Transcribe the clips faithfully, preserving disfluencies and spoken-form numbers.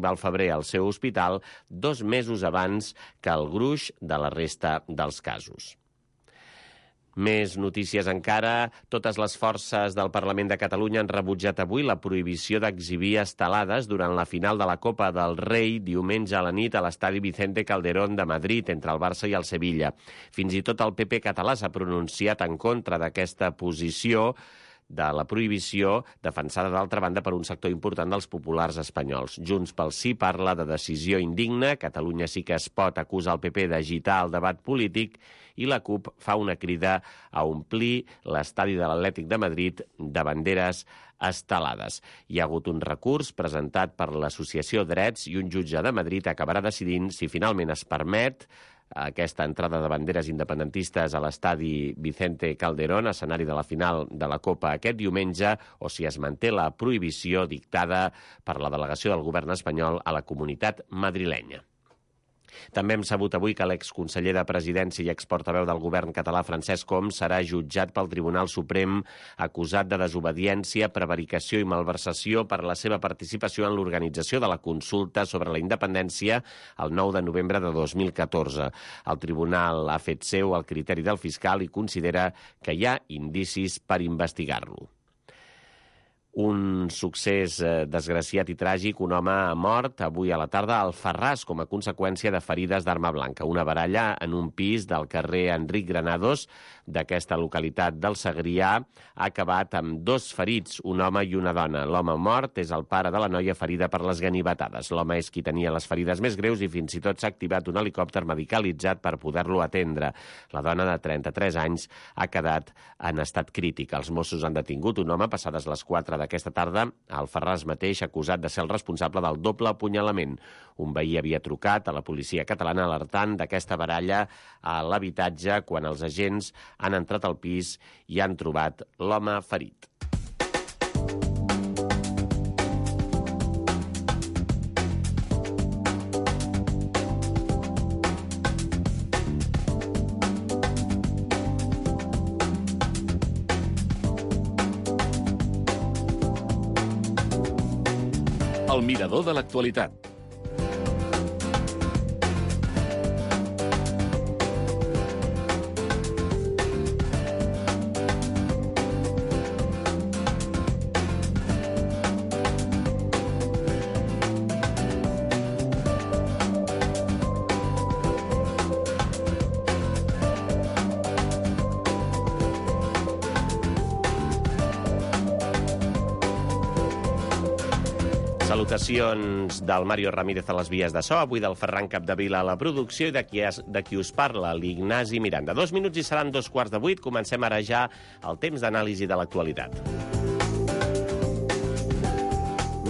al febrer al seu hospital, dos mesos abans que el gruix de la resta dels casos. Més notícies encara. Totes les forces del Parlament de Catalunya han rebutjat avui la prohibició d'exhibir estelades durant la final de la Copa del Rei diumenge a la nit a l'estadi Vicente Calderón de Madrid entre el Barça i el Sevilla. Fins i tot el P P català s'ha pronunciat en contra d'aquesta posició de la prohibició, defensada d'altra banda per un sector important dels populars espanyols. Junts pel Sí parla de decisió indigna, Catalunya Sí que es pot acusa el P P d'agitar el debat polític i la CUP fa una crida a omplir l'estadi de l'Atlètic de Madrid de banderes estelades. Hi ha hagut un recurs presentat per l'Associació Drets i un jutge de Madrid acabarà decidint si finalment es permet aquesta entrada de banderes independentistes a l'estadi Vicente Calderón, escenari de la final de la Copa aquest diumenge, o si es manté la prohibició dictada per la delegació del govern espanyol a la comunitat madrilenya. També hem sabut avui que l'exconseller de Presidència i exportaveu del govern català, Francesc Homs, serà jutjat pel Tribunal Suprem acusat de desobediència, prevaricació i malversació per la seva participació en l'organització de la consulta sobre la independència el nou de novembre de dos mil catorze. El tribunal ha fet seu el criteri del fiscal i considera que hi ha indicis per investigar-lo. Un succés eh, desgraciat i tràgic, un home ha mort avui a la tarda a Alfarràs com a conseqüència de ferides d'arma blanca. Una baralla en un pis del carrer Enric Granados d'aquesta localitat del Segrià ha acabat amb dos ferits, un home i una dona. L'home mort és el pare de la noia ferida per les ganivetades. L'home és qui tenia les ferides més greus i fins i tot s'ha activat un helicòpter medicalitzat per poder-lo atendre. La dona de trenta-tres anys ha quedat en estat crític. Els Mossos han detingut un home passades les quatre d'aquesta tarda a Alfarràs mateix, acusat de ser el responsable del doble apunyalament. Un veí havia trucat a la policia catalana alertant d'aquesta baralla a l'habitatge quan els agents han entrat al pis i han trobat l'home ferit. El mirador de l'actualitat. Salutacions del Mario Ramírez a les vies de so, avui del Ferran Capdevila a la producció i de qui, es, de qui us parla, l'Ignasi Miranda. Dos minuts i seran dos quarts de vuit. Comencem ara ja el temps d'anàlisi de l'actualitat.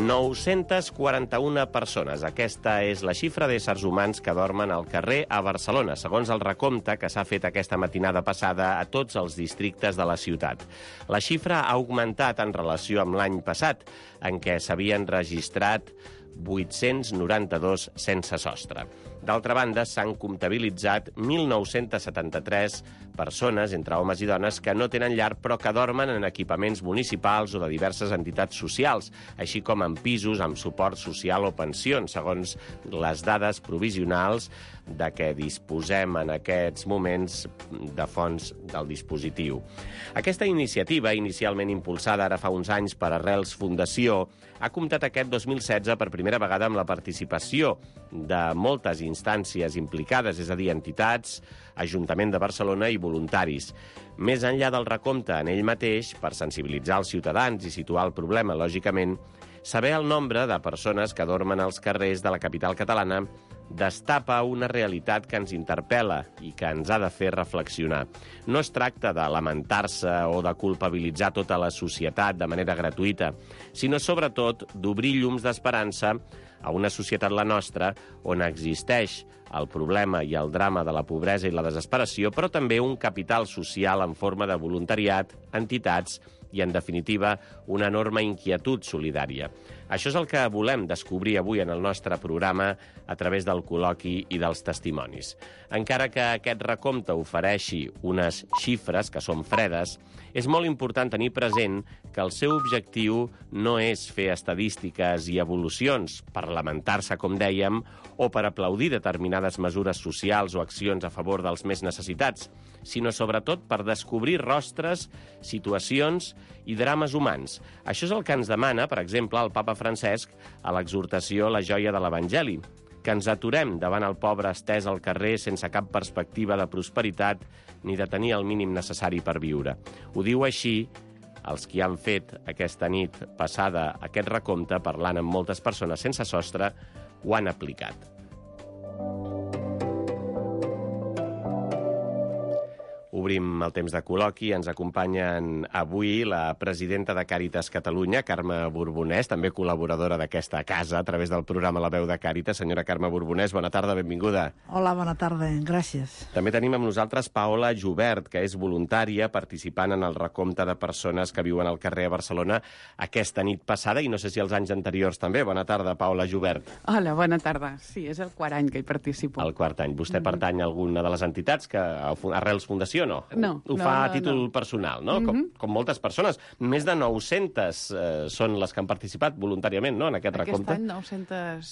nou-centes quaranta-una persones. Aquesta és la xifra d'éssers humans que dormen al carrer a Barcelona, segons el recompte que s'ha fet aquesta matinada passada a tots els districtes de la ciutat. La xifra ha augmentat en relació amb l'any passat, en què s'havien registrat vuit-cents noranta-dos sense sostre. D'altra banda, s'han comptabilitzat mil nou-cents setanta-tres persones, entre homes i dones, que no tenen llar però que dormen en equipaments municipals o de diverses entitats socials, així com en pisos amb suport social o pensions, segons les dades provisionals de què disposem en aquests moments de fons del dispositiu. Aquesta iniciativa, inicialment impulsada ara fa uns anys per Arrels Fundació, ha comptat aquest dos mil setze per primera vegada amb la participació de moltes instàncies implicades, és a dir, entitats, Ajuntament de Barcelona i voluntaris. Més enllà del recompte en ell mateix, per sensibilitzar els ciutadans i situar el problema, lògicament, saber el nombre de persones que dormen als carrers de la capital catalana destapa una realitat que ens interpel·la i que ens ha de fer reflexionar. No es tracta de lamentar-se o de culpabilitzar tota la societat de manera gratuïta, sinó sobretot d'obrir llums d'esperança a una societat, la nostra, on existeix el problema i el drama de la pobresa i la desesperació, però també un capital social en forma de voluntariat, entitats i, en definitiva, una enorme inquietud solidària. Això és el que volem descobrir avui en el nostre programa a través del col·loqui i dels testimonis. Encara que aquest recompte ofereixi unes xifres que són fredes, és molt important tenir present que el seu objectiu no és fer estadístiques i evolucions per lamentar-se, com dèiem, o per aplaudir determinades mesures socials o accions a favor dels més necessitats, sinó sobretot per descobrir rostres, situacions i drames humans. Això és el que ens demana, per exemple, el papa Francesc a l'exhortació La joia de l'Evangeli, que ens aturem davant el pobre estès al carrer sense cap perspectiva de prosperitat ni de tenir el mínim necessari per viure. Ho diu així els qui han fet aquesta nit passada aquest recompte, parlant amb moltes persones sense sostre, ho han aplicat. Obrim el temps de col·loqui. Ens acompanyen avui la presidenta de Càritas Catalunya, Carme Borbonès, també col·laboradora d'aquesta casa a través del programa La veu de Càritas. Senyora Carme Borbonès, bona tarda, benvinguda. Hola, bona tarda, gràcies. També tenim amb nosaltres Paola Jubert, que és voluntària participant en el recompte de persones que viuen al carrer a Barcelona aquesta nit passada, i no sé si els anys anteriors també. Bona tarda, Paola Jubert. Hola, bona tarda. Sí, és el quart any que hi participo. El quart any. Vostè mm-hmm. pertany a alguna de les entitats que Arrels Fundació, no? No. Ho no, fa no, a títol no. personal, no? Mm-hmm. Com, com moltes persones. Més de nou-centes eh, són les que han participat voluntàriament, no?, en aquest, aquest recompte. Aquest any nou-centes...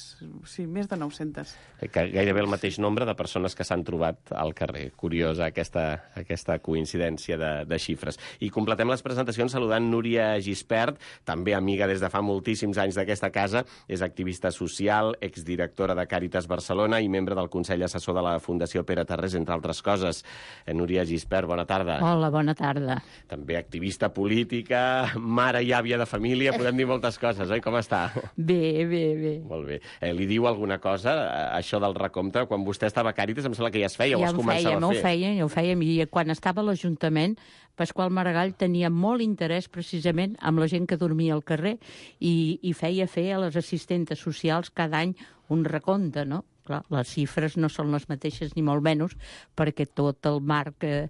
Sí, més de nou-centes. Que gairebé el mateix nombre de persones que s'han trobat al carrer. Curiosa aquesta, aquesta coincidència de, de xifres. I completem les presentacions saludant Núria Gispert, també amiga des de fa moltíssims anys d'aquesta casa, és activista social, exdirectora de Càritas Barcelona i membre del Consell Assessor de la Fundació Pere Tarrés, entre altres coses. Núria Gispert, bona tarda. Hola, bona tarda. També activista política, mare i àvia de família, podem dir moltes coses, oi? Com està? Bé, bé, bé. Molt bé. Eh, li diu alguna cosa, això del recompte? Quan vostè estava a Càritas, em sembla que ja es feia, ja o es començava feia, a fer. Ja ho feia, ja ho feia. I quan estava a l'Ajuntament, Pasqual Maragall tenia molt interès precisament amb la gent que dormia al carrer i, i feia fer a les assistentes socials cada any un recompte, no? Clar, les xifres no són les mateixes ni molt menys, perquè tot el marc eh,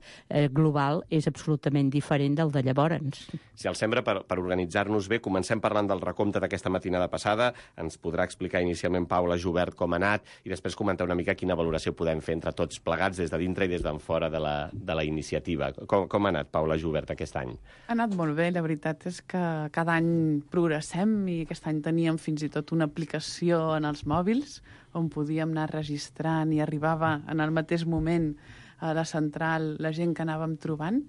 global és absolutament diferent del de llavors. Si el sembra, per, per organitzar-nos bé, comencem parlant del recompte d'aquesta matinada passada. Ens podrà explicar inicialment Paula Jubert com ha anat i després comentar una mica quina valoració podem fer entre tots plegats des de dintre i des d'en fora de la, de la iniciativa. Com, com ha anat, Paula Jubert, aquest any? Ha anat molt bé, la veritat és que cada any progressem i aquest any teníem fins i tot una aplicació en els mòbils on podíem anar registrant i arribava en el mateix moment a la central la gent que anàvem trobant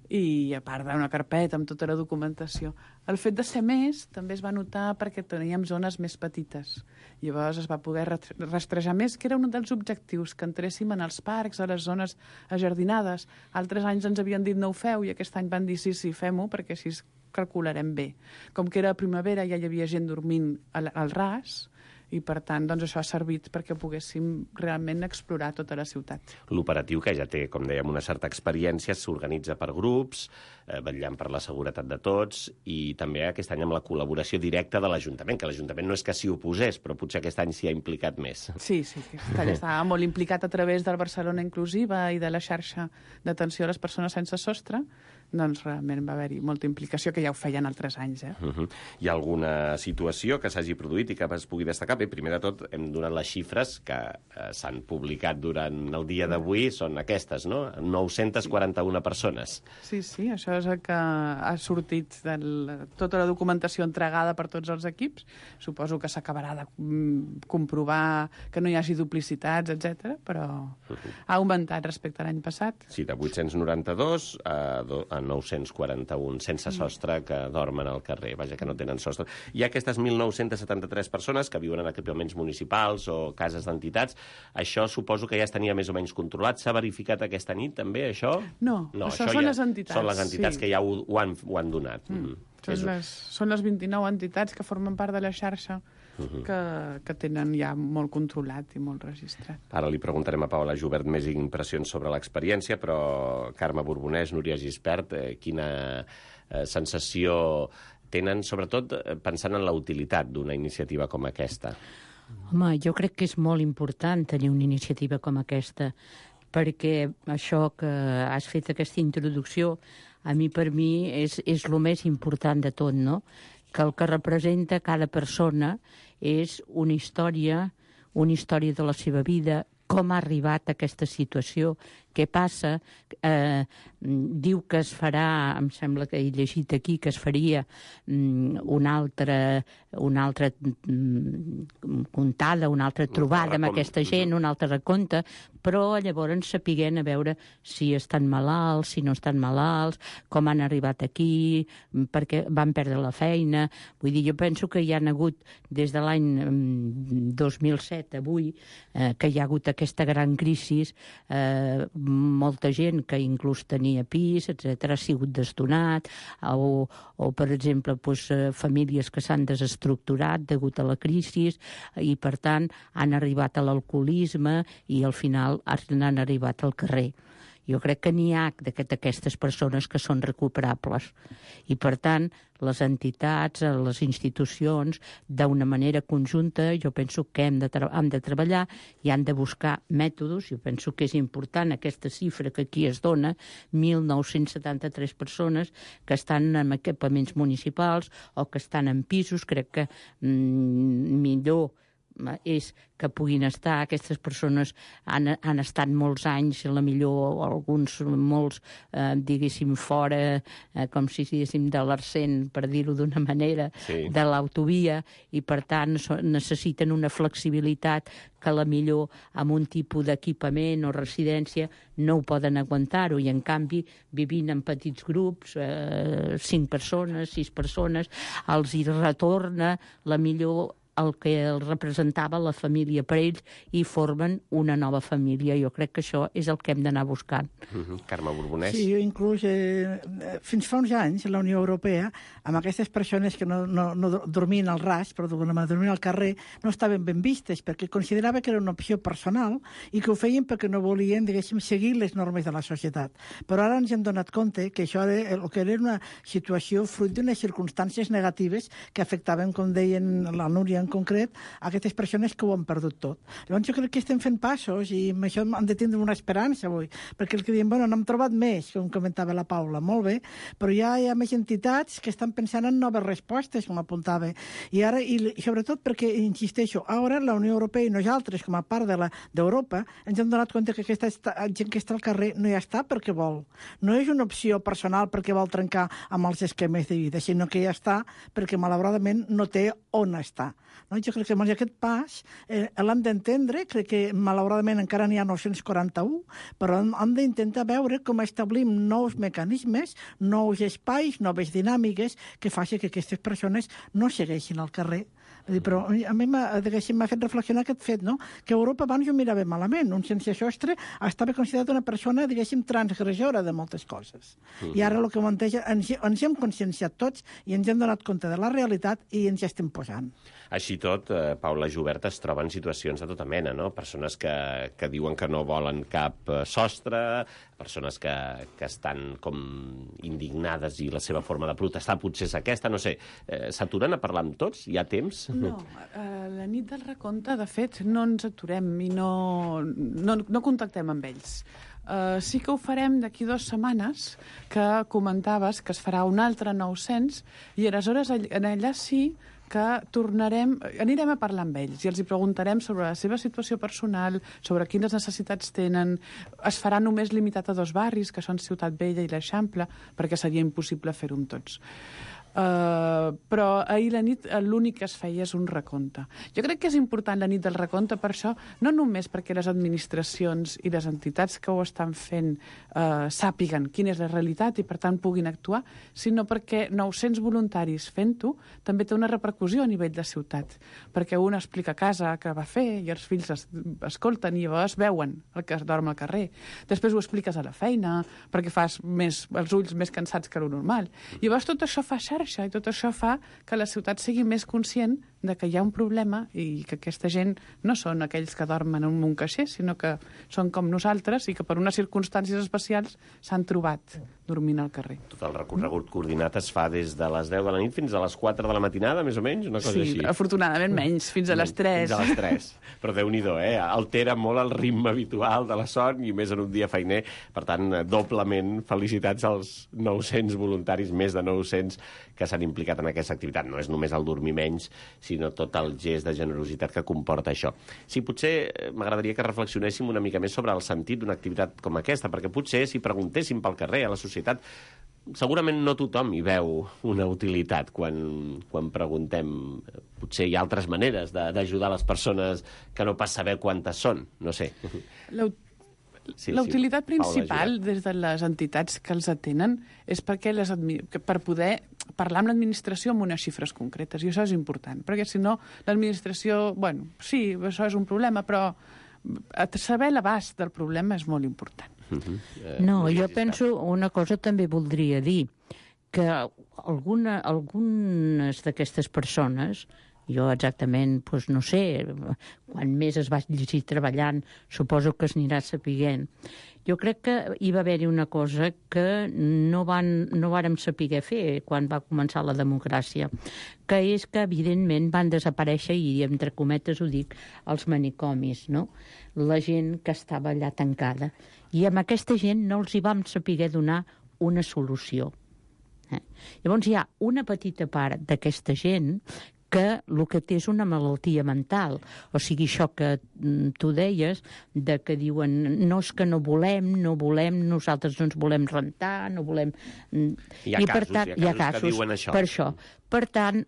i a part d'una carpeta amb tota la documentació. El fet de ser més també es va notar perquè teníem zones més petites. Llavors es va poder rastrejar més, que era un dels objectius, que entréssim en els parcs, a les zones ajardinades. Altres anys ens havien dit no ho feu i aquest any van dir sí, sí, fem-ho perquè així calcularem bé. Com que era primavera ja hi havia gent dormint al, al ras, i, per tant, doncs, això ha servit perquè poguéssim realment explorar tota la ciutat. L'operatiu, que ja té, com dèiem, una certa experiència, s'organitza per grups, eh, vetllant per la seguretat de tots, i també aquest any amb la col·laboració directa de l'Ajuntament, que l'Ajuntament no és que s'hi oposés, però potser aquest any s'hi ha implicat més. Sí, sí, aquest any estava molt implicat a través del Barcelona Inclusiva i de la xarxa d'atenció a les persones sense sostre, doncs realment va haver-hi molta implicació, que ja ho feien altres anys. Eh? Uh-huh. Hi ha alguna situació que s'hagi produït i que es pugui destacar? Bé, primer de tot, hem donat les xifres que eh, s'han publicat durant el dia d'avui, són aquestes, no? nou-centes quaranta-una persones. Sí, sí, això és el que ha sortit de tota la documentació entregada per tots els equips. Suposo que s'acabarà de comprovar que no hi hagi duplicitats, etcètera, però uh-huh. ha augmentat respecte a l'any passat. Sí, de vuit-cents noranta-dos a, a nou-cents quaranta-un sense sostre que dormen al carrer, vaja, que no tenen sostre. Hi ha aquestes mil nou-cents setanta-tres persones que viuen en equipaments municipals o cases d'entitats. Això suposo que ja es tenia més o menys controlat. S'ha verificat aquesta nit també, això? No, no això, això són ja les entitats. Són les entitats sí. que ja ho, ho, han, ho han donat. Mm. Mm. Són, les, són les vint-i-nou entitats que formen part de la xarxa Uh-huh. que, que tenen ja molt controlat i molt registrat. Ara li preguntarem a Paola Jubert més impressions sobre l'experiència, però Carme Borbonès, Núria Gispert, eh, quina eh, sensació tenen, sobretot eh, pensant en la utilitat d'una iniciativa com aquesta? Home, jo crec que és molt important tenir una iniciativa com aquesta, perquè això que has fet aquesta introducció, a mi per mi és, és el més important de tot, no? que el que representa cada persona és una història, una història de la seva vida, com ha arribat a aquesta situació, què passa, eh, diu que es farà, em sembla que he llegit aquí, que es faria mm, una altra, una altra mm, contada, una altra trobada amb aquesta gent, un altre recompte, però llavors sapiguem a veure si estan malalts, si no estan malalts, com han arribat aquí, perquè van perdre la feina. Vull dir, jo penso que hi ha hagut, des de l'any dos mil set avui, eh, que hi ha hagut aquesta gran crisi, eh, molta gent que inclús tenia pis, etcètera, ha sigut desdonat, o, o per exemple, doncs, famílies que s'han desestructurat degut a la crisi i, per tant, han arribat a l'alcoholisme i al final han arribat al carrer. Jo crec que n'hi ha d'aquestes persones que són recuperables. I, per tant, les entitats, les institucions, d'una manera conjunta, jo penso que hem de, hem de treballar i han de buscar mètodes. Jo penso que és important aquesta xifra que aquí es dona, mil nou-cents setanta-tres persones que estan en equipaments municipals o que estan en pisos. Crec que mm, millor és que puguin estar. Aquestes persones han, han estat molts anys, a la millor alguns molts, eh, diguéssim, fora, eh, com si diguéssim de l'arcent, per dir-ho d'una manera, sí, de l'autovia, i per tant so, necessiten una flexibilitat que a la millor amb un tipus d'equipament o residència no ho poden aguantar-ho, i en canvi vivint en petits grups, eh, cinc persones, sis persones, els hi retorna la millor el que els representava la família per ells i formen una nova família. Jo crec que això és el que hem d'anar buscant. Mm-hmm. Carme Borbonès. Sí, jo inclús, eh, fins fa uns anys, la Unió Europea, amb aquestes persones que no, no, no dormien al ras, però dormien al carrer, no estaven ben vistes, perquè considerava que era una opció personal i que ho feien perquè no volien, diguéssim, seguir les normes de la societat. Però ara ens hem donat compte que això era, el que era una situació fruit d'unes circumstàncies negatives que afectaven, com deien la Núria en concret, aquestes persones que ho han perdut tot. Llavors jo crec que estem fent passos i amb això hem de tindre una esperança avui, perquè el que diem, bueno, n'hem trobat més, com comentava la Paula, molt bé, però ja hi ha més entitats que estan pensant en noves respostes, com apuntava. I ara, i sobretot perquè, insisteixo, ara la Unió Europea i nosaltres, com a part de la d'Europa, ens hem donat compte que aquesta gent que està al carrer no hi està perquè vol. No és una opció personal perquè vol trencar amb els esquemes de vida, sinó que ja està perquè, malauradament, no té on estar. No? Jo crec que doncs, aquest pas eh, l'hem d'entendre, crec que malauradament encara n'hi ha nou-cents quaranta-u, però hem, hem d'intentar veure com establim nous mecanismes, nous espais, noves dinàmiques que facin que aquestes persones no segueixin al carrer. Però a mi m'ha fet reflexionar aquest fet, no? Que Europa abans ho mirava malament. Un sense sostre estava considerat una persona, diguéssim, transgressora de moltes coses. Uh-huh. I ara el que planteja, ens, ens hem conscienciat tots i ens hem donat compte de la realitat i ens hi estem posant. Així tot, eh, Paula Jubert es troba en situacions de tota mena, no? Persones que, que diuen que no volen cap sostre, persones que, que estan com indignades i la seva forma de protestar potser és aquesta, no sé. Eh, s'aturen a parlar amb tots? Hi ha temps? No, eh, la nit del recompte, de fet, no ens aturem i no, no, no contactem amb ells. Uh, sí que ho farem d'aquí dues setmanes, que comentaves que es farà un altre nou-cents, i aleshores en allà sí que tornarem, anirem a parlar amb ells i els hi preguntarem sobre la seva situació personal, sobre quines necessitats tenen. Es farà només limitat a dos barris, que són Ciutat Vella i l'Eixample, perquè seria impossible fer-ho amb tots. Uh, però ahir la nit l'únic que es feia és un recompte. Jo crec que és important la nit del recompte per això, no només perquè les administracions i les entitats que ho estan fent uh, sàpiguen quina és la realitat i per tant puguin actuar, sinó perquè nou-cents voluntaris fent-ho també té una repercussió a nivell de ciutat, perquè un explica a casa què va fer i els fills es, escolten i llavors veuen el que es dorm al carrer. Després ho expliques a la feina perquè fas més, els ulls més cansats que lo normal. I llavors tot això fa xarxa i tot això fa que la ciutat sigui més conscient de que hi ha un problema i que aquesta gent no són aquells que dormen en un caixer, sinó que són com nosaltres i que per unes circumstàncies especials s'han trobat dormint al carrer. Tot el recorregut coordinat es fa des de les deu de la nit fins a les quatre de la matinada, més o menys, una cosa sí, així. Sí, afortunadament menys, fins a les tres. Fins a les tres. Però Déu-n'hi-do, eh? Altera molt el ritme habitual de la son i més en un dia feiner. Per tant, doblement felicitats als nou-cents voluntaris, més de nou-cents, que s'han implicat en aquesta activitat. No és només el dormir menys, sinó tot el gest de generositat que comporta això. Sí, potser m'agradaria que reflexionéssim una mica més sobre el sentit d'una activitat com aquesta, perquè potser si preguntéssim pel carrer, a la societat, segurament no tothom hi veu una utilitat quan, quan preguntem. Potser hi ha altres maneres d'ajudar les persones que no pas saber quantes són, no sé. La, sí, la utilitat sí, principal des de les entitats que els atenen és perquè les per poder parlar amb l'administració amb unes xifres concretes, i això és important, perquè si no l'administració, bueno, sí, això és un problema, però saber l'abast del problema és molt important. Uh-huh. eh, no, jo penso una cosa també voldria dir, que alguna, algunes d'aquestes persones, jo exactament, doncs no sé, quan més es vagi treballant, suposo que es anirà sapiguent. Jo crec que hi va haver-hi una cosa que no, van, no vàrem saber fer quan va començar la democràcia, que és que, evidentment, van desaparèixer, i entre cometes ho dic, els manicomis, no? La gent que estava allà tancada. I amb aquesta gent no els hi vam saber donar una solució. Eh? Llavors hi ha una petita part d'aquesta gent que el que té és una malaltia mental. O sigui, això que tu deies, de que diuen no és que no volem, no volem, nosaltres no ens volem rentar, no volem... Hi ha I, casos, per tant, hi ha casos, hi ha casos que diuen això. Per això. Per tant,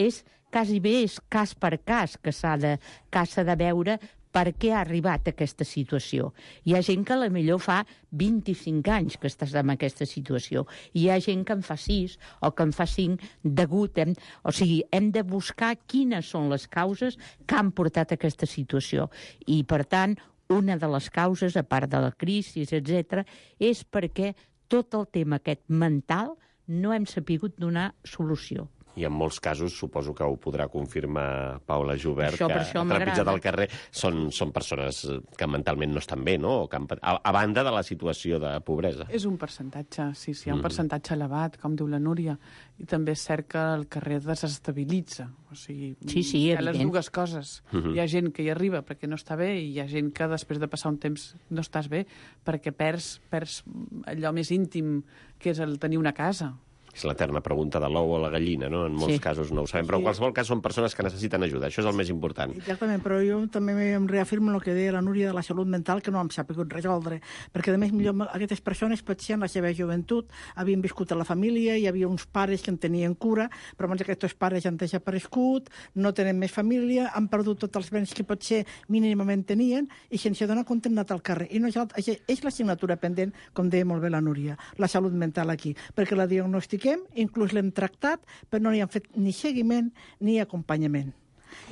és quasi bé és cas per cas que s'ha de, que s'ha de veure per què ha arribat a aquesta situació. Hi ha gent que a la millor fa vint-i-cinc anys que estàs en aquesta situació. Hi ha gent que en fa sis o que en fa cinc degut... Hem, o sigui, hem de buscar quines són les causes que han portat a aquesta situació. I, per tant, una de les causes, a part de la crisi, etcètera, és perquè tot el tema aquest mental no hem sabut donar solució. I en molts casos, suposo que ho podrà confirmar Paula Jubert, això, que trepitjat al carrer són, són persones que mentalment no estan bé, no? Que han, a, a banda de la situació de pobresa. És un percentatge, sí, sí, hi ha un percentatge elevat, com diu la Núria, i també és cert que el carrer desestabilitza. O sigui, sí, sí, hi ha evident. les dues coses. Uh-huh. Hi ha gent que hi arriba perquè no està bé i hi ha gent que després de passar un temps no estàs bé perquè perds, perds allò més íntim que és el tenir una casa. És l'eterna pregunta de l'ou o la gallina, no? En molts sí. casos no ho sabem, però en qualsevol cas són persones que necessiten ajuda. Això és el més important. Exactament, però jo també em reafirmo el que deia la Núria de la salut mental, que no hem sabut resoldre, perquè a més millor aquestes persones potser en la seva joventut havien viscut a la família, hi havia uns pares que en tenien cura, però abans aquests pares han desaparegut, no tenen més família, han perdut tots els béns que potser mínimament tenien i sense donar compte han anat al carrer. I nosaltres, és l'assignatura pendent, com deia molt bé la Núria, la salut mental aquí, perquè la diagnostiquem, inclús l'hem tractat, però no hi han fet ni seguiment ni acompanyament.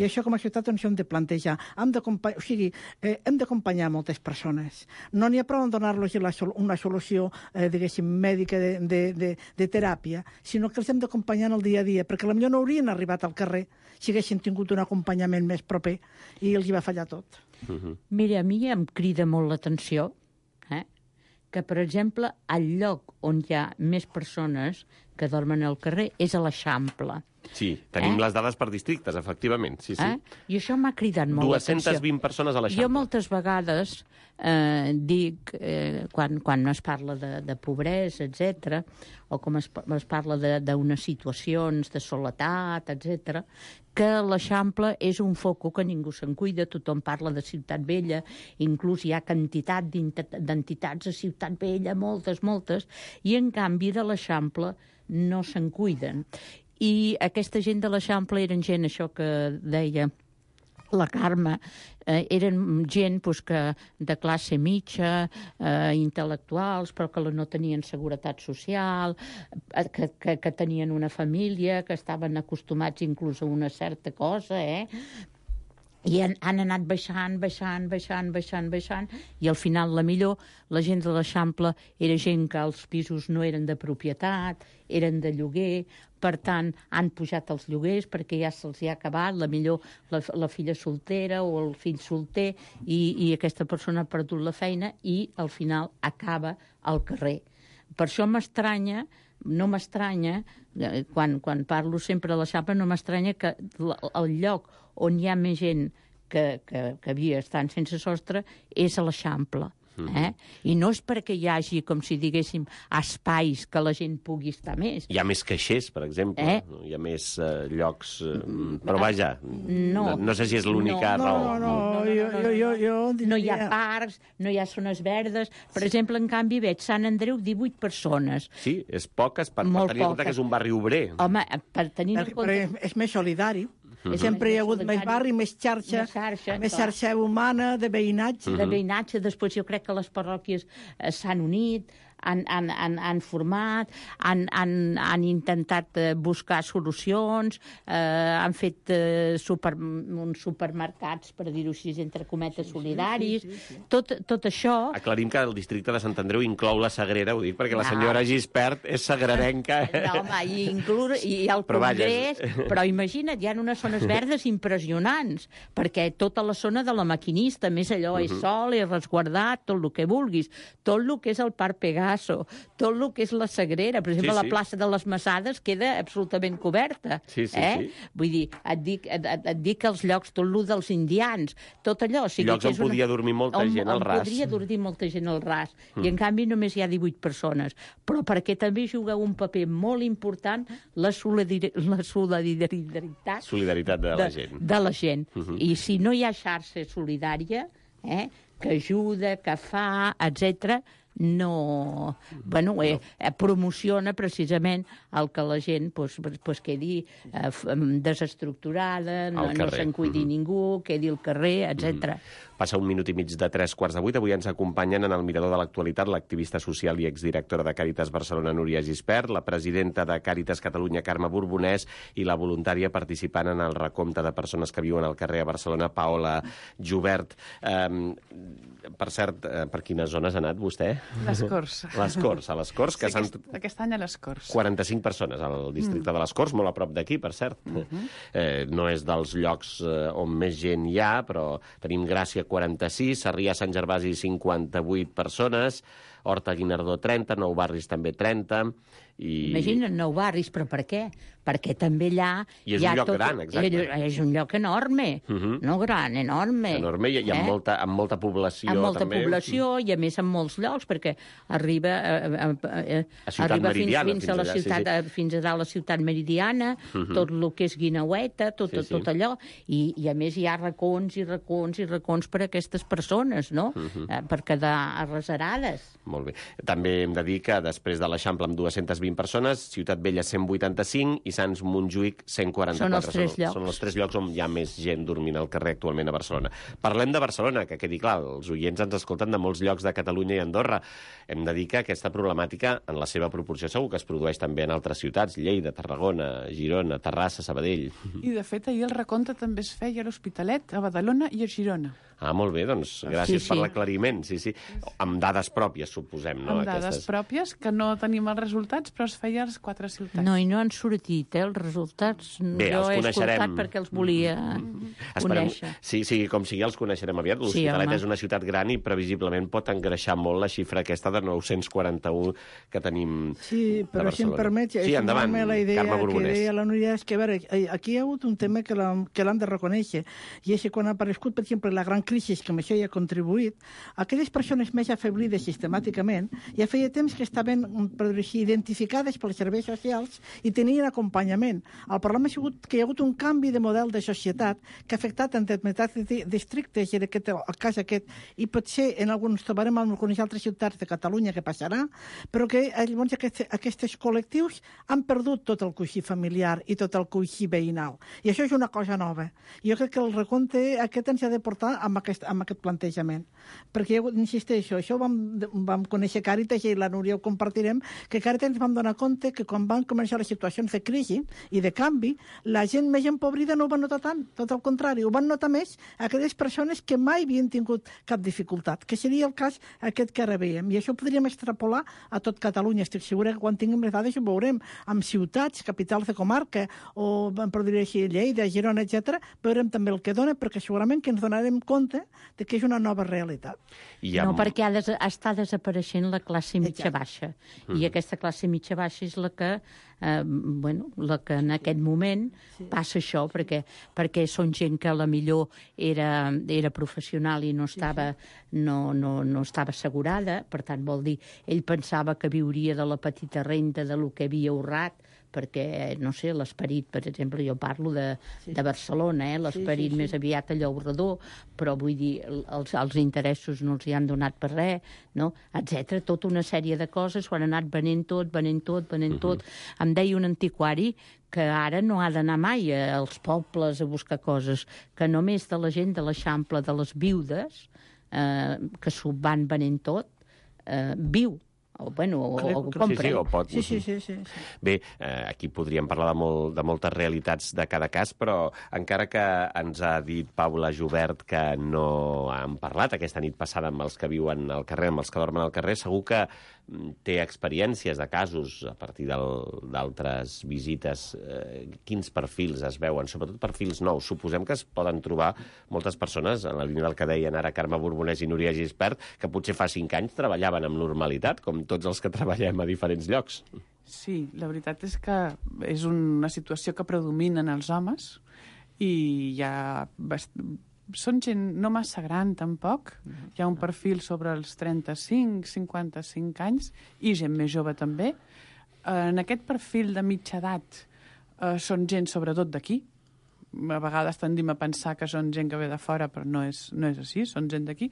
I això com a ciutat ens hem de plantejar. Hem d'acompanyar, o sigui, eh, hem d'acompanyar moltes persones. No n'hi ha prou en donar-los una solució, eh, diguéssim, mèdica de, de, de, de teràpia, sinó que els hem d'acompanyar en el dia a dia, perquè potser no haurien arribat al carrer si haguessin tingut un acompanyament més proper i els hi va fallar tot. Uh-huh. Mira, a mi em crida molt l'atenció eh, que, per exemple, el lloc on hi ha més persones que dormen al carrer és a l'Eixample. Sí, tenim eh? les dades per districtes, efectivament. Sí, sí. Eh? I això m'ha cridat molt l'atenció. dues-centes vint persones a l'Eixample. Jo moltes vegades eh, dic, eh, quan, quan es parla de, de pobresa, etcètera, o com es, es parla d'unes situacions de soledat, etcètera, que l'Eixample és un foco que ningú se'n cuida, tothom parla de Ciutat Vella, inclús hi ha quantitat d'entitats a Ciutat Vella, moltes, moltes, i en canvi de l'Eixample no se'n cuiden. I aquesta gent de l'Eixample eren gent, això que deia la Carme, eh, eren gent pues, que de classe mitja, eh, intel·lectuals, però que no tenien seguretat social, eh, que, que, que tenien una família, que estaven acostumats inclús a una certa cosa, eh? i han, han anat baixant, baixant, baixant, baixant, baixant, i al final la millor, la gent de l'Eixample era gent que els pisos no eren de propietat, eren de lloguer, per tant, han pujat els lloguers perquè ja se'ls ha acabat, la millor la, la filla soltera o el fill solter, i, i aquesta persona ha perdut la feina i al final acaba al carrer. Per això m'estranya, no m'estranya, quan, quan parlo sempre de l'Eixample, no m'estranya que el lloc on hi ha més gent que, que, que havia estat sense sostre és a l'Eixample. Eh? I no és perquè hi hagi, com si diguéssim, espais que la gent pugui estar més. Hi ha més caixers, per exemple. Eh? Hi ha més uh, llocs... Uh, però vaja, no, no, no sé si és l'única no, raó. No, no, no, jo, jo, jo, jo diria... No hi ha parcs, no hi ha zones verdes. Per sí. exemple, en canvi, veig Sant Andreu, divuit persones. Sí, és poques, per, per tenir en compte que és un barri obrer. Home, per tenir en compte... Però és més solidari. Mm-hmm. Sempre hi ha hagut més barri, més xarxa, més xarxa, més xarxa humana, de veïnatge. Mm-hmm. De veïnatge. Després jo crec que les parròquies eh, s'han unit, han, han, han, han format, han, han, han intentat eh, buscar solucions, eh, han fet eh, super, uns supermercats, per dir-ho així, entre cometes, solidaris. Sí, sí, sí, sí. Tot, tot això... Aclarim que el districte de Sant Andreu inclou la Sagrera, ho dic perquè la senyora Gispert és sagrarenca. Eh? No, home, i, inclure, i el però Congrés... Vaja. Però imagina't, hi ha unes zones verdes impressionants, perquè tota la zona de la Maquinista, més allò, uh-huh. és sol, és resguardat, tot el que vulguis, tot el que és el Parc Pegaso, tot el que és la Sagrera, per exemple, sí, sí. la plaça de les Massades queda absolutament coberta. Sí, sí, eh? sí. Vull dir, et dic, et, et, et dic que els llocs, tot el dels indians, tot allò... O sigui, llocs on podia una... dormir molta on, gent al ras. On podria dormir molta gent al ras. Mm. I en canvi només hi ha divuit persones. Però perquè també juga un paper molt important la, solidari... la solidaritat... Solidaritat de la gent. De, de la gent. Mm-hmm. I si no hi ha xarxa solidària, eh, que ajuda, que fa, etcètera, no, bueno, eh, promociona precisament el que la gent pues, pues, quedi eh, desestructurada, no, no se'n cuidi mm-hmm. ningú, quedi al carrer, etcètera. Mm-hmm. Passa un minut i mig de tres quarts de vuit. Avui ens acompanyen en el Mirador de l'Actualitat l'activista social i exdirectora de Càritas Barcelona, Núria Gispert, la presidenta de Càritas Catalunya, Carme Borbonès, i la voluntària participant en el recompte de persones que viuen al carrer a Barcelona, Paola Jubert. Um, per cert, per quines zones ha anat vostè? Les Corts. Les Corts, a les Corts. Que sí, aquest, aquest any a les Corts. quaranta-cinc persones al districte mm. de les Corts, molt a prop d'aquí, per cert. Mm-hmm. Eh, no és dels llocs eh, on més gent hi ha, però tenim Gràcia quaranta-sis, Sarrià Sant Gervasi cinquanta-vuit persones, Horta Guinardó trenta, Nou Barris també trenta... I... Imagina't, Nou Barris, però per què? Perquè també allà... I és hi ha un lloc tot... gran, exacte. És un lloc enorme, uh-huh. no gran, enorme. Enorme i, i amb, eh? molta, amb molta població amb molta també. població i a més en molts llocs, perquè arriba, eh, eh, a arriba fins, Meridiana, fins, fins a la allà, ciutat, sí, sí. fins a dalt la ciutat Meridiana, uh-huh. tot el que és Guineueta, tot, sí, sí. tot allò, i, i a més hi ha racons i racons i racons per a aquestes persones, no? Uh-huh. eh, per quedar arreserades. Molt bé. També hem de dir que després de l'Eixample amb dues-centes vint persones, Ciutat Vella cent vuitanta-cinc i Sants Montjuïc cent quaranta-quatre. Són els tres són, llocs. Són els tres llocs on hi ha més gent dormint al carrer actualment a Barcelona. Parlem de Barcelona, que quedi clar, els oients ens escolten de molts llocs de Catalunya i Andorra. Hem de dir que aquesta problemàtica, en la seva proporció, segur que es produeix també en altres ciutats, Lleida, Tarragona, Girona, Terrassa, Sabadell. I, de fet, ahir el recompte també es feia a l'Hospitalet, a Badalona i a Girona. Ah, molt bé, doncs gràcies sí, sí. per l'aclariment. Sí, sí. Amb dades pròpies, suposem, no? Amb dades Aquestes... pròpies, que no tenim els resultats, però es feia a les quatre ciutats. No, i no han sortit, eh, els resultats. Bé, jo els he coneixerem. escoltat perquè els volia Esperem... conèixer. Sí, sí, com sigui, els coneixerem aviat. L'Hospitalet sí, és una ciutat gran i previsiblement pot engreixar molt la xifra aquesta de nou-cents quaranta-u que tenim sí, però de Barcelona. si em permet, sí, endavant, la idea Carme que Borbonès. deia la Núria, és que, a veure, aquí hi ha hagut un tema que l'han de reconèixer, i és que quan ha aparegut, per exemple, la gran crisi, que amb això hi ha contribuït, aquelles persones més afeblides sistemàticament ja feia temps que estaven, per dir així, identificades pels serveis socials i tenien acompanyament. El problema ha sigut que hi ha hagut un canvi de model de societat que ha afectat en determinats districtes, i en aquest, el cas aquest, i potser en alguns trobarem en algunes altres ciutats de Catalunya que passarà, però que llavors aquests, aquests col·lectius han perdut tot el coixí familiar i tot el coixí veïnal. I això és una cosa nova. Jo crec que el recompte aquest ens ha de portar amb aquest, amb aquest plantejament. Perquè, insisteixo, això ho vam, vam conèixer Càritas i la Núria ho compartirem, que Càritas ens vam donar compte que quan van començar les situacions de crisi i de canvi, la gent més empobrida no ho va notar tant, tot al contrari, ho van notar més aquelles persones que mai havien tingut cap dificultat, que seria el cas aquest que ara veiem. I això ho podríem extrapolar a tot Catalunya. Estic segura que quan tinguem les dades ho veurem amb ciutats, capitals de comarca, o, per dir així, Lleida, Girona, etcètera, veurem també el que dona, perquè segurament que ens donarem compte de que és una nova realitat. I amb... No, perquè ha des... està desapareixent la classe mitja-baixa. Mm. I aquesta classe mitja-baixa és la que, eh, bueno, la que en aquest moment sí. passa això, perquè, perquè són gent que a la millor era, era professional i no estava, sí, sí. No, no, no estava assegurada, per tant, vol dir, ell pensava que viuria de la petita renda de lo que havia ahorrat, perquè, no sé, l'esperit, per exemple, jo parlo de, sí. de Barcelona, eh? l'esperit sí, sí, sí. més aviat a Llaurador, però vull dir, els, els interessos no els hi han donat per res, no? etcètera. Tota una sèrie de coses, ho han anat venent tot, venent tot, venent uh-huh. tot. Em deia un antiquari que ara no ha d'anar mai als pobles a buscar coses, que només de la gent de l'Eixample, de les viudes, eh, que s'ho van venent tot, eh, viu. O, bueno, o, o compren. Sí, sí, o pot... sí, sí, sí, sí, sí. Bé, eh, aquí podríem parlar de, molt, de moltes realitats de cada cas, però encara que ens ha dit Paula Jubert que no han parlat aquesta nit passada amb els que viuen al carrer, amb els que dormen al carrer, segur que té experiències de casos a partir d'altres visites. Eh, quins perfils es veuen? Sobretot perfils nous. Suposem que es poden trobar moltes persones, en la línia del que deien ara Carme Borbonès i Núria Gispert, que potser fa cinc anys treballaven amb normalitat, com tots els que treballem a diferents llocs. Sí, la veritat és que és una situació que predomina en els homes i hi ha... Bast... Són gent no massa gran, tampoc. Hi ha un perfil sobre els trenta-cinc, cinquanta-cinc anys i gent més jove també. En aquest perfil de mitja edat eh, són gent sobretot d'aquí. A vegades tendim a pensar que són gent que ve de fora, però no és, no és així, són gent d'aquí,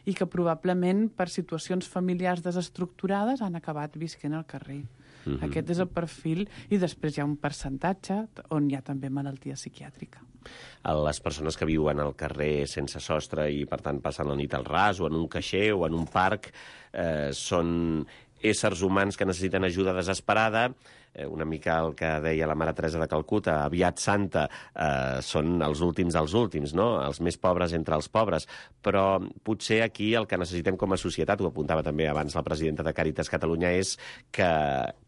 i que probablement per situacions familiars desestructurades han acabat visquent al carrer. Mm-hmm. Aquest és el perfil, i després hi ha un percentatge on hi ha també malaltia psiquiàtrica. Les persones que viuen al carrer sense sostre i, per tant, passen la nit al ras o en un caixer o en un parc, eh, són éssers humans que necessiten ajuda desesperada. Eh, una mica el que deia la Mare Teresa de Calcuta, aviat santa, eh, són els últims dels últims, no? Els més pobres entre els pobres. Però potser aquí el que necessitem com a societat, ho apuntava també abans la presidenta de Càritas Catalunya, és que,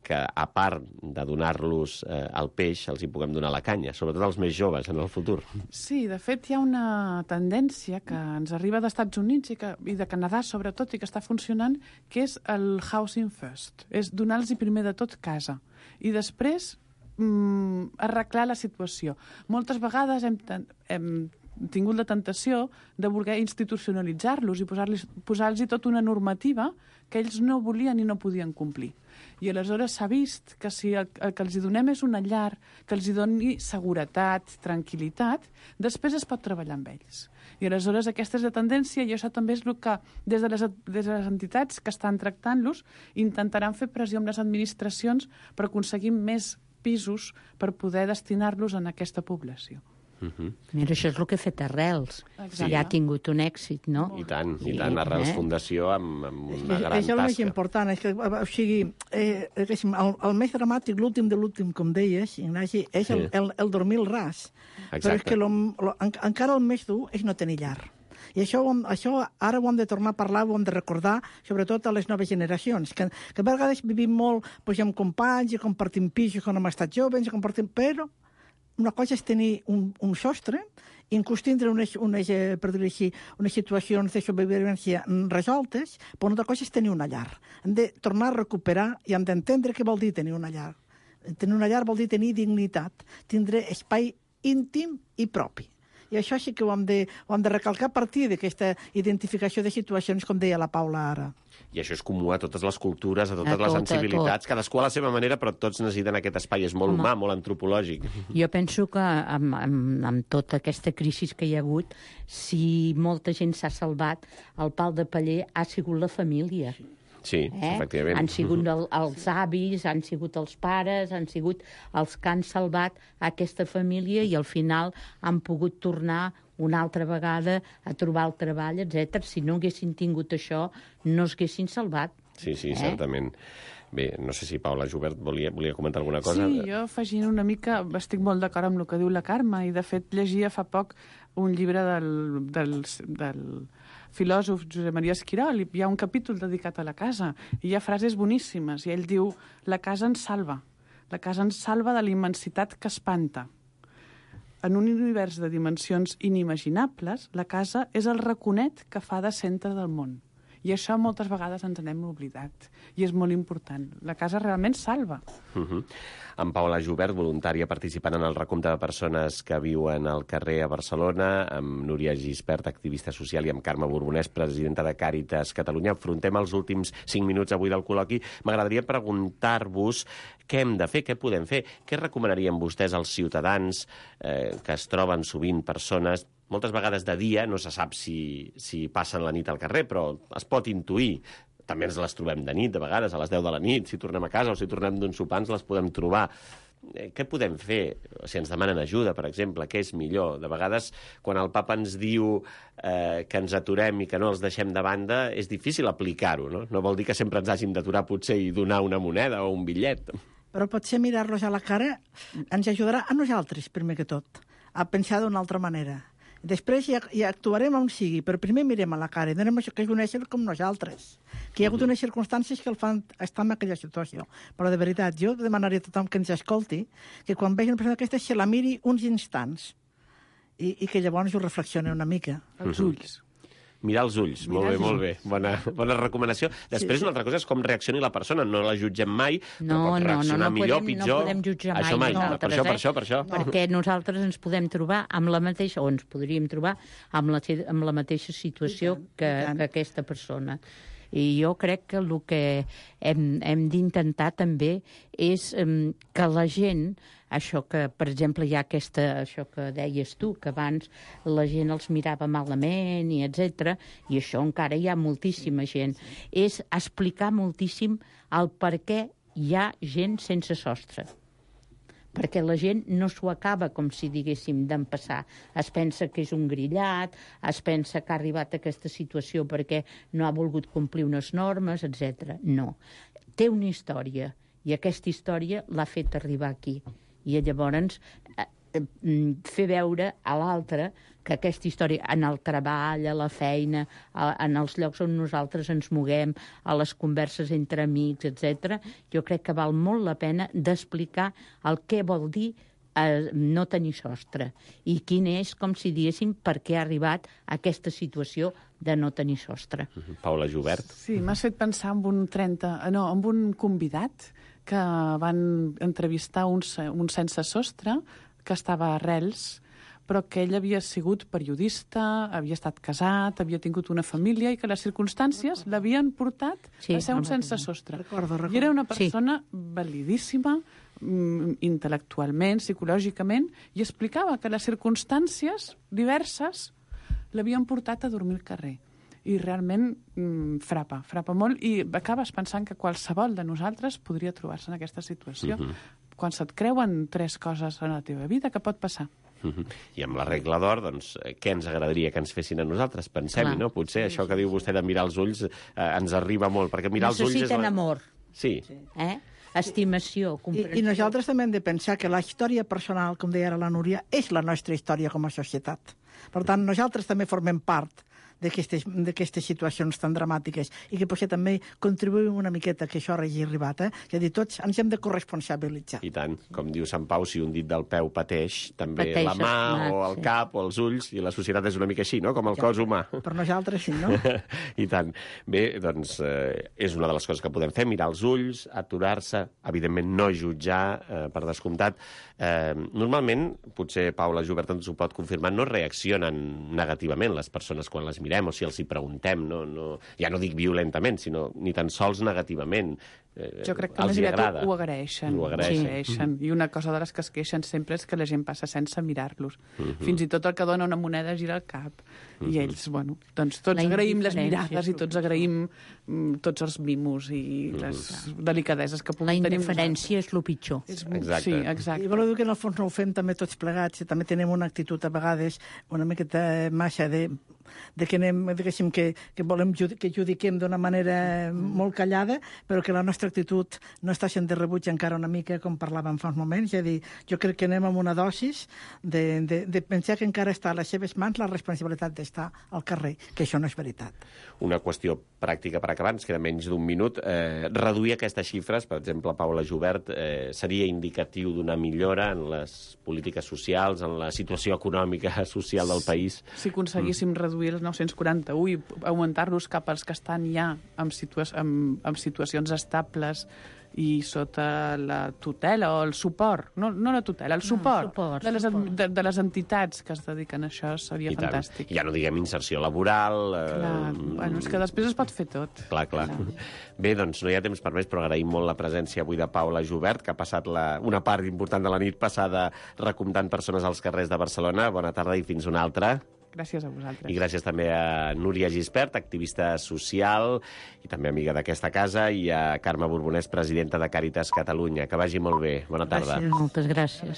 que a part de donar-los eh, el peix, els hi puguem donar la canya, sobretot als més joves en el futur. Sí, de fet hi ha una tendència que ens arriba dels Estats Units i, que, i de Canadà sobretot, i que està funcionant, que és el housing first, és donar-los primer de tot casa i després mm, arreglar la situació. Moltes vegades hem, hem tingut la tentació de voler institucionalitzar-los i posar-los posar-los tota una normativa que ells no volien i no podien complir. I aleshores s'ha vist que si el, el que els donem és una llar, que els doni seguretat, tranquil·litat, després es pot treballar amb ells. I aleshores aquesta és la tendència i això també és el que des de les, des de les entitats que estan tractant-los intentaran fer pressió amb les administracions per aconseguir més pisos per poder destinar-los en aquesta població. Uh-huh. Mira, això és el que ha fet Arrels. Exacte. Ja ha tingut un èxit, no? I tant, i tant. Arrels eh? Fundació amb, amb una gran tasca. Això és el més important. És que, o sigui, eh, el, el més dramàtic, l'últim de l'últim, com deies, Ignasi, és el, el, el dormir al ras. Exacte. Però és que lo, lo, en, encara el més dur és no tenir llar. I això, això ara ho hem de tornar a parlar, ho hem de recordar, sobretot a les noves generacions, que, que a vegades vivim molt doncs, amb companys i compartim pisos quan hem estat joves, i compartim... però una cosa és tenir un, un sostre, inclús tindre unes, unes, per dir-ho així, unes situacions de sobrevivència resoltes, però una altra cosa és tenir una llar. Hem de tornar a recuperar i hem d'entendre què vol dir tenir una llar. Tenir una llar vol dir tenir dignitat, tindre espai íntim i propi. I això sí que ho hem de, ho hem de recalcar a partir d'aquesta identificació de situacions, com deia la Paula ara. I això és comú a totes les cultures, a totes a les tot, sensibilitats, cadascú a la seva manera, però tots necessiten aquest espai. És molt Home. humà, molt antropològic. Jo penso que amb, amb, amb tota aquesta crisi que hi ha hagut, si molta gent s'ha salvat, el pal de paller ha sigut la família. Sí, eh? efectivament. Han sigut el, els avis, han sigut els pares, han sigut els que han salvat aquesta família i al final han pogut tornar una altra vegada a trobar el treball, etcètera. Si no haguessin tingut això, no es haguessin salvat. Sí, sí, eh? certament. Bé, no sé si Paula Jubert volia, volia comentar alguna cosa. Sí, jo afegint una mica, estic molt d'acord amb el que diu la Carme, i de fet llegia fa poc un llibre del, del, del filòsof Josep Maria Esquirol, i hi ha un capítol dedicat a la casa, i hi ha frases boníssimes, i ell diu: la casa ens salva, la casa ens salva de la immensitat que espanta. En un univers de dimensions inimaginables, la casa és el raconet que fa de centre del món. I això moltes vegades ens n'hem oblidat. I és molt important. La casa realment salva. Uh -huh. En Paula Jubert, voluntària participant en el recompte de persones que viuen al carrer a Barcelona, amb Núria Gispert, activista social, i amb Carme Borbonès, presidenta de Càritas Catalunya. Afrontem els últims cinc minuts avui del col·loqui. M'agradaria preguntar-vos què hem de fer, què podem fer, què recomanarien vostès als ciutadans eh, que es troben sovint persones, moltes vegades de dia, no se sap si, si passen la nit al carrer, però es pot intuir. També ens les trobem de nit, de vegades, a les deu de la nit, si tornem a casa o si tornem d'un sopar, ens les podem trobar. Eh, què podem fer? Si ens demanen ajuda, per exemple, què és millor? De vegades, quan el papa ens diu eh, que ens aturem i que no els deixem de banda, és difícil aplicar-ho, no? No vol dir que sempre ens hàgim d'aturar, potser, i donar una moneda o un bitllet. Però potser mirar-los a la cara ens ajudarà a nosaltres, primer que tot, a pensar d'una altra manera. Després ja, ja actuarem on sigui, però primer mirem a la cara i donem això que és un ésser com nosaltres, que hi ha hagut unes circumstàncies que el fan estar en aquella situació. Però de veritat, jo demanaria a tothom que ens escolti que quan vegi una persona d'aquesta se la miri uns instants i, i que llavors ho reflexioni una mica. Els ulls. Mirar els ulls, molt bé, molt bé. Bona, bona recomanació. Després, sí, sí. Una altra cosa és com reaccioni la persona. No la jutgem mai, però no, pot reaccionar no, no, no millor, podem, pitjor. No podem jutjar mai, això mai nosaltres, per això, eh? per això, per això. Perquè nosaltres ens podem trobar amb la mateixa, o ens podríem trobar amb la, amb la mateixa situació que, que aquesta persona. I jo crec que el que hem, hem d'intentar també és um, que la gent, això que, per exemple, hi ha aquesta, això que deies tu, que abans la gent els mirava malament, i etcètera, i això encara hi ha moltíssima gent, és explicar moltíssim el per què hi ha gent sense sostre. Perquè la gent no s'ho acaba, com si diguéssim, d'empassar. Es pensa que és un grillat, es pensa que ha arribat a aquesta situació perquè no ha volgut complir unes normes, etcètera. No. Té una història, i aquesta història l'ha fet arribar aquí. I llavors eh, fer veure a l'altre que aquesta història, en el treball, a la feina, a, en els llocs on nosaltres ens moguem, a les converses entre amics, etcètera, jo crec que val molt la pena d'explicar el què vol dir eh, no tenir sostre i quin és, com si diguéssim, per què ha arribat a aquesta situació de no tenir sostre. Uh-huh. Paula Jubert. Sí, m'has fet pensar en un trenta, no, en un convidat que van entrevistar un, un sense sostre que estava a Arrels, però que ell havia sigut periodista, havia estat casat, havia tingut una família i que les circumstàncies l'havien portat sí, a ser un sense sostre. Recordo, recordo. I era una persona sí. validíssima, intel·lectualment, psicològicament, i explicava que les circumstàncies diverses l'havien portat a dormir al carrer. I realment mm, frapa, frapa molt, i acabes pensant que qualsevol de nosaltres podria trobar-se en aquesta situació. Uh-huh. Quan se't creuen tres coses en la teva vida, què pot passar? Uh-huh. I amb la regla d'or, doncs, què ens agradaria que ens fessin a nosaltres? Pensem-hi, no? Potser això que diu vostè de mirar els ulls eh, ens arriba molt, perquè mirar els ulls és... Necessiten amor. Sí. Eh? Estimació, comprensió. I, I nosaltres també hem de pensar que la història personal, com deia ara la Núria, és la nostra història com a societat. Per tant, nosaltres també formem part d'aquestes situacions tan dramàtiques i que potser també contribuïm una miqueta que això hagi arribat. Eh? És a dir, tots ens hem de corresponsabilitzar. I tant. Com diu Sant Pau, si un dit del peu pateix, també pateix la mà mà, o el sí. cap o els ulls, i la societat és una mica així, no? Com el ja, cos humà. Per nosaltres sí, no? I tant. Bé, doncs, eh, és una de les coses que podem fer, mirar els ulls, aturar-se, evidentment no jutjar, eh, per descomptat. Eh, normalment, potser Paula Jubert ens ho pot confirmar, no reaccionen negativament les persones quan les mirem mirem o si els hi preguntem, no, no, ja no dic violentament, sinó ni tan sols negativament. Eh, jo crec que els més aviat agrada. ho agraeixen. Ho agraeixen. Ho agraeixen. I una cosa de les que es queixen sempre és que la gent passa sense mirar-los. Uh-huh. Fins i tot el que dona una moneda gira el cap. Uh-huh. I ells, bueno, doncs tots La agraïm les indiferència mirades és i tots agraïm mm, tots els mimos i les delicadeses que La puguin tenir. indiferència és el pitjor. És, Exacte. Sí, exacte. I voleu dir que en el fons no ho fem també tots plegats, i també tenim una actitud a vegades una miqueta massa de, de que anem, diguéssim, que, que volem judi que judiquem d'una manera molt callada, però que la nostra actitud no està sent de rebuig encara una mica, com parlàvem fa uns moments. És a dir, jo crec que anem amb una dosis de, de, de pensar que encara està a les seves mans la responsabilitat d'estar al carrer, que això no és veritat. Una qüestió pràctica per acabar, ens queda menys d'un minut. Eh, reduir aquestes xifres, per exemple, Paula Jubert, eh, seria indicatiu d'una millora en les polítiques socials, en la situació econòmica social del país? Si aconseguíssim mm. reduir els nou-cents quaranta-u i augmentar-los cap als que estan ja en, situa en, en situacions estables i sota la tutela o el suport, no, no la tutela, el suport, no, suport de, les, suport. de, de les entitats que es dediquen a això seria I tant. fantàstic. Ja no diguem inserció laboral... Eh, Clar, bueno, és que després es pot fer tot. Clar, clar. clar. Bé, doncs no hi ha temps per més, però agraïm molt la presència avui de Paula Jubert, que ha passat la, una part important de la nit passada recomptant persones als carrers de Barcelona. Bona tarda i fins una altra. Gràcies a vosaltres. I gràcies també a Núria Gispert, activista social i també amiga d'aquesta casa, i a Carme Borbonès, presidenta de Càritas Catalunya. Que vagi molt bé. Bona tarda. Gràcies, moltes gràcies.